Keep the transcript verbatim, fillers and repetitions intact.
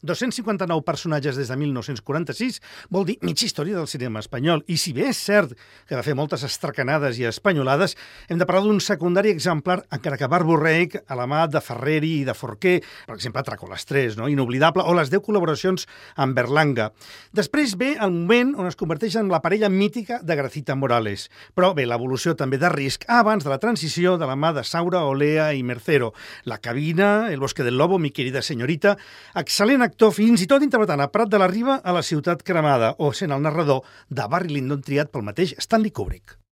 dos-cents cinquanta-nou personatges des de mil nou-cents quaranta-sis vol dir mitja història del cinema espanyol. I si bé és cert que va fer moltes estracanades i espanyolades, hem de parlar d'un secundari exemplar, encara que barborreic, a la mà de Ferreri i de Forquer, per exemple, Tràcoles tres, no? Inoblidable, o les deu col·laboracions amb Berlanga. Després ve el moment on es converteix en la parella mítica de Gracita Morales. Però bé, l'evolució també de Risc abans de la transició de la mà de Saura, Olea i Mercero. La cabina, El bosque del lobo, Mi querida señorita, excel·lent actor, fins i tot interpretant a Prat de la Riba a La ciutat cremada, o sent el narrador de Barry Lyndon triat pel mateix Stanley Kubrick.